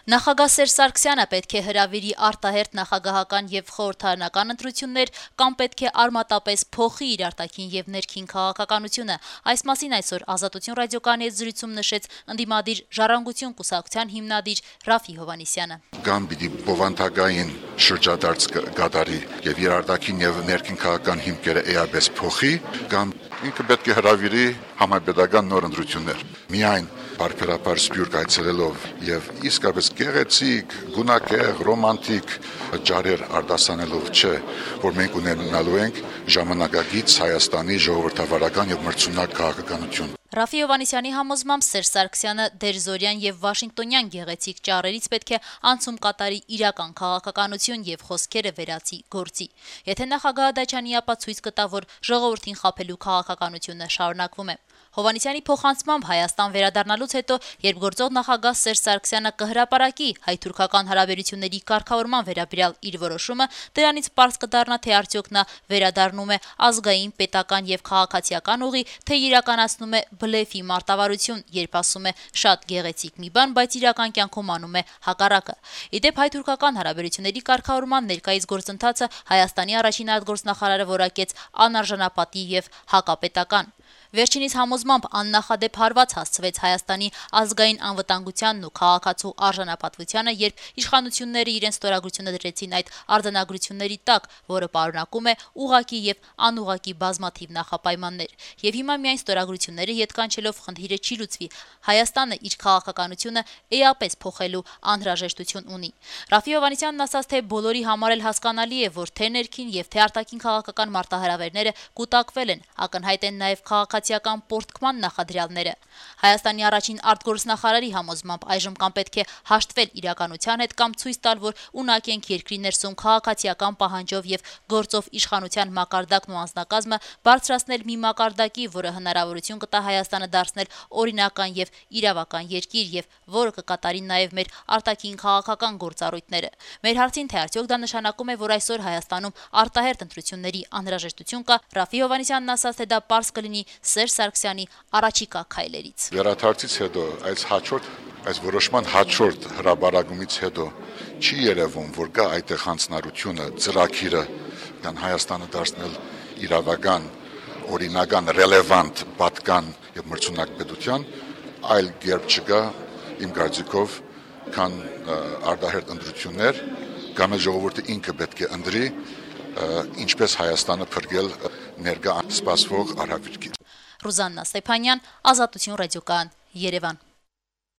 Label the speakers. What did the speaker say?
Speaker 1: Նախագահ Սերժ Սարգսյանը պետք է հրավիրի արտահերթ նախագահական եւ խորհրդարանական ընտրություններ կամ պետք է արմատապես փոխի իր արտաքին եւ ներքին քաղաքականությունը։ Այս մասին այսօր Ազատություն ռադիոկայանի հետ զրույցում նշեց ընդդիմադիր Ժառանգություն կուսակցության հիմնադիր Ռաֆի Հովհաննիսյանը։
Speaker 2: Կամ պիտի բովանդակային շրջադարձ գդարի եւ իր արտաքին եւ ներքին քաղաքական հիմքերը էապես փոխի, կամ ինքը պետք է հրավիրի համապետական նոր ընտրություններ։ Միայն բարբերաբար սպյուրք այցելելով եւ իսկապես գեղեցիկ, գունակեղ, ռոմանտիկ ջարեր արտասանելով չէ, որ մենք ունենալու ենք ժամանակակից Հայաստանի ժողովրդավարական եւ մրցունակ քաղաքականություն։
Speaker 1: Ռաֆի Հովհաննիսյանի համոզմամբ Սերժ Սարգսյանը դերզորյան եւ վաշինգտոնյան գեղեցիկ ճառերից պետք է անցում կատարի իրական քաղաքականություն եւ խոսքերը վերացի գործի։ Եթե նախագահը դա չանի, ապա ցույց կտա, որ ժողովրդին խաբելու քաղաքականությունը շարունակվում է։ Հովհաննիսյանի փոխանցմամբ Հայաստան վերադառնալուց հետո, երբ գործող նախագահ Սերժ Սարգսյանը կհրապարակի հայ-թուրքական հարաբերությունների կարգավորման վերաբերյալ իր որոշումը, դրանից պարզ կդառնա, թե արդյոք նա վերադառնում է ազգային, պետական եւ քաղաքացիական ուղի, թե իրականացնում է բլեֆի մարտավարություն, երբ ասում է շատ գեղեցիկ մի բան, բայց իրական կյանքում անում է հակառակը։ Իդեպ հայ-թուրքական հարաբերությունների կարգավորման ներկայիս գործընթացը Հայաստանի առաջին արտգործնախարարը որակեց անարժանապատի եւ հակապետական։ Վերջինիս համոզմամբ աննախադեպ հարված հասցվեց Հայաստանի ազգային անվտանգությանն ու քաղաքացու արժանապատվությանը, երբ իշխանությունները իրենց ստորագրությունը դրեցին այդ արձանագրությունների տակ, որը պարունակում է ուղղակի եւ անուղղակի բազմաթիվ նախապայմաններ։ Եվ հիմա միայն ստորագրությունները ետ կանչելով խնդիրը չի լուծվի։ Հայաստանը իր քաղաքականությունը էապես փոխելու անհրաժեշտություն ունի։ Ռաֆի Հովհաննիսյանն ասաց, թե բոլորի համար էլ հասկանալի է, որ թե ներքին եւ թե արտաքին քաղաքական մարտահրավերները կուտակվել են, ակնհայտ են նաեւ քաղաքացիական պորտկման նախադրյալները։ Հայաստանի առաջին արտգործնախարարի համոզմամբ այժմ կամ պետք է հաշտվել իրականության հետ, կամ ցույց տալ, որ ունակ ենք երկրի ներսում քաղաքացիական պահանջով եւ գործով իշխանության մակարդակն ու անձնակազմը բարձրացնել մի մակարդակի, որը հնարավորություն կտա Հայաստանը դարձնել օրինական եւ իրավական երկիր եւ որը կկատարի նաեւ մեր արտաքին քաղաքական գործառույթները։ Մեր հարցին, թե արդյոք դա նշանակում է, որ այսօր Հայաստանում արտահերթ ընտրությունների անհրաժեշտություն կա, Ռաֆի Հովհաննիսյանն ասաց, թե դա պարզ կլինի Սերժ Սարգսյանի առաջիկա քայլերից։
Speaker 2: Վերադարձից հետո այս որոշման հաջորդ հրաբարակումից հետո չի երևում, որ կա այդտեղ հանձնարարությունը, ծրագիրը կան Հայաստանը դարձնել իրավական, օրինական, ռելևանտ, պատկան եւ մրցունակ պետության, այլ կերպ չկա իմ կարծիքով, քան արտահերթ ընտրություններ, կամ ժողովուրդը ինքը պետք է ընտրի, ինչպես Հայաստանը փրկել ներկա սպասվող արհավիրքից։
Speaker 1: Ռուզաննա Ստեփանյան, Ազատություն ռադիոկայան, Երևան։